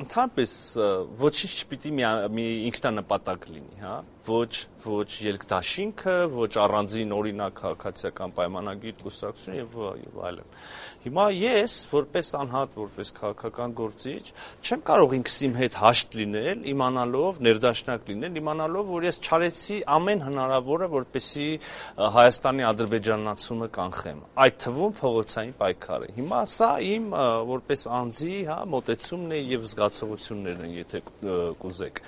Ընդհանրապես ոչինչ չպիտի մի ինքնանպատակ լինի, հա, ոչ ելքդաշինքը, ոչ առանձին օրինակ քաղաքացիական պայմանագիր կուսակցություն եւ այլն։ Հիմա ես որպես անհատ, որպես քաղաքական գործիչ չեմ կարող ինքս իմ հետ հաշտ լինել, իմանալով, ներդաշնակ լինել, իմանալով, որ ես չարեցի ամեն հնարավորը, որպեսզի Հայաստանի ադրբեջանացումը կանխեմ, այդ թվում փողոցային պայքարը։ Հիմա սա իմ որպես անձի, հա, մոտեցումն է եւ զգացողություններն են, եթե կուզեք։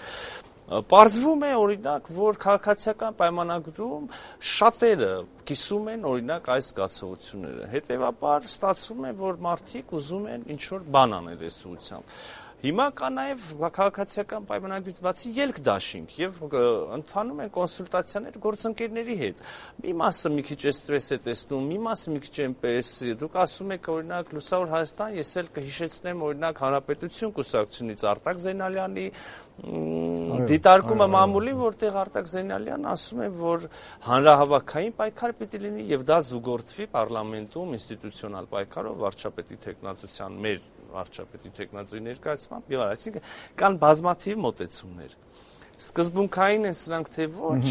Պարզվում է, օրինակ, որ քաղաքացիական պայմանագրում շատերը կիսում են, օրինակ, այս զգացողությունները։ Հետևաբար ստացվում է, որ մարդիկ ուզում են ինչ-որ բան անել այս ուղղությամբ։ Հիմա կա նաև քաղաքացիական պայմանագրից բացի ելքդաշինք եւ ընթանում են կոնսուլտացիաներ գործընկերների հետ։ Մի մասը մի քիչ էսպես է տեսնում, մի մասը մի քիչ այնպես։ Դուք ասում եք, օրինակ, Լուսավոր Հայաստան, ես էլ կհիշեցնեմ, օրինակ, Հանրապետություն կուսակցությունից Արտակ Զեյնալյանի դիտարկումը մամուլի, որտեղ Արտակ Զեյնալյանն ասում է, որ հանրահավաքային պայքար պիտի լինի եւ դա զուգորդվի պարլամենտում ինստիտուցիոնալ պայքարով վարչապետի թեկնածության մեր վարչապետի թեկնածուի ներկայացմամբ եւ այսինքն կան բազմաթիվ մոտեցումներ։ Սկզբունքային են սրանք թե ոչ,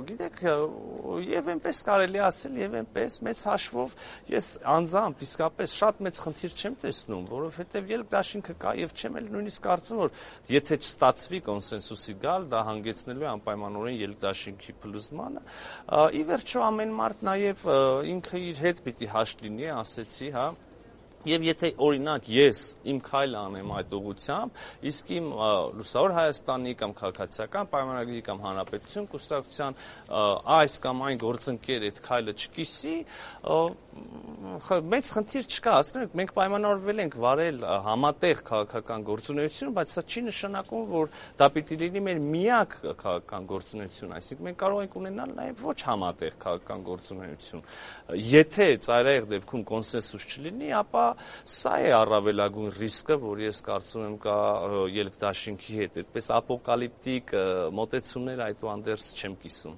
գիտեք, եւ այնպես կարելի ասել եւ այնպես մեծ հաշվով ես անձամբ իսկապես շատ մեծ խնդիր չեմ տեսնում, որովհետեւ ելքդաշինքը կա եւ չեմ էլ նույնիսկ կարծում, որ եթե չստացվի կոնսենսուսի գալ, դա հանգեցնելու է անպայմանորեն ելքդաշինքի փլուզմանը։ Ի վերջո ամեն մարդ նաեւ ինքը իր հետ պիտի հաշտ լինի, ասեցի, հա։ Եվ եթե օրինակ ես իմ քայլը անեմ այդ ուղղությամբ, իսկ իմ Լուսավոր Հայաստանի կամ քաղաքացիական պայմանագրի կամ Հանրապետություն կուսակցության այս կամ այն գործընկեր այդ քայլը չկիսի, մեծ խնդիր չկա, ասենք մենք պայմանավորվել ենք վարել համատեղ քաղաքական գործունեություն, բայց սա չի նշանակում, որ դա պիտի լինի մեր միակ քաղաքական գործունեություն, այսինքն մենք կարող ենք ունենալ նաև ոչ համատեղ քաղաքական գործունեություն։ Եթե ծայրահեղ դեպքում կոնսենսուս չլինի, ապա սա է առավելագույն ռիսկը, որ ես կարծում եմ կա ելքդաշինքի հետ, այդպես ապոկալիպտիկ մոտեցումներ այդուհանդերձ չեմ կիսում։